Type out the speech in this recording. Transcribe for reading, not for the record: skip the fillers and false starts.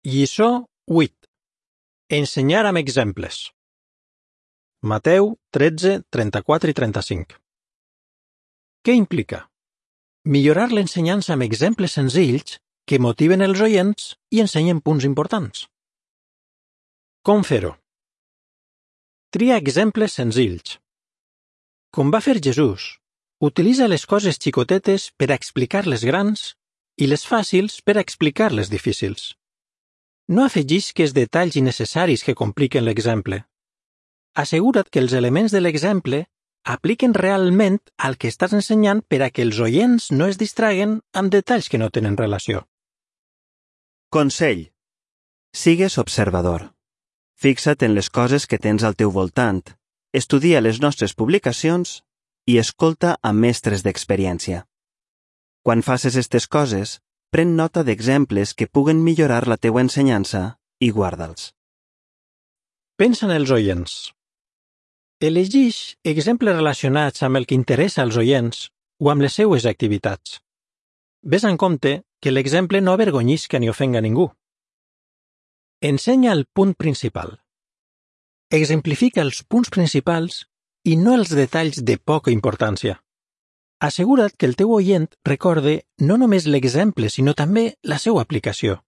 Lliçó 8. Ensenyar amb exemples. Mateu 13, 34 i 35. Què implica? Millorar l'ensenyança amb exemples senzills que motiven els oients i ensenyen punts importants. Com fer-ho? Tria exemples senzills. Com va fer Jesús, utilitza les coses xicotetes per a explicar les grans i les fàcils per a explicar les difícils. No afegisques detalls innecessaris que compliquen l'exemple. Assegura't que els elements de l'exemple apliquen realment al que estàs ensenyant per a que els oients no es distraguen amb detalls que no tenen relació. Consell. Sigues observador. Fixa't en les coses que tens al teu voltant, estudia les nostres publicacions i escolta a mestres d'experiència. Quan faces aquestes coses, pren nota d'exemples que puguen millorar la teua ensenyança i guarda'ls. Pensa en els oients. Elegix exemples relacionats amb el que interessa als oients o amb les seues activitats. Ves en compte que l'exemple no avergonyisca ni ofenga ningú. Ensenya el punt principal. Exemplifica els punts principals i no els detalls de poca importància. Assegura't que el teu oient recorde no només l'exemple, sinó també la seva aplicació.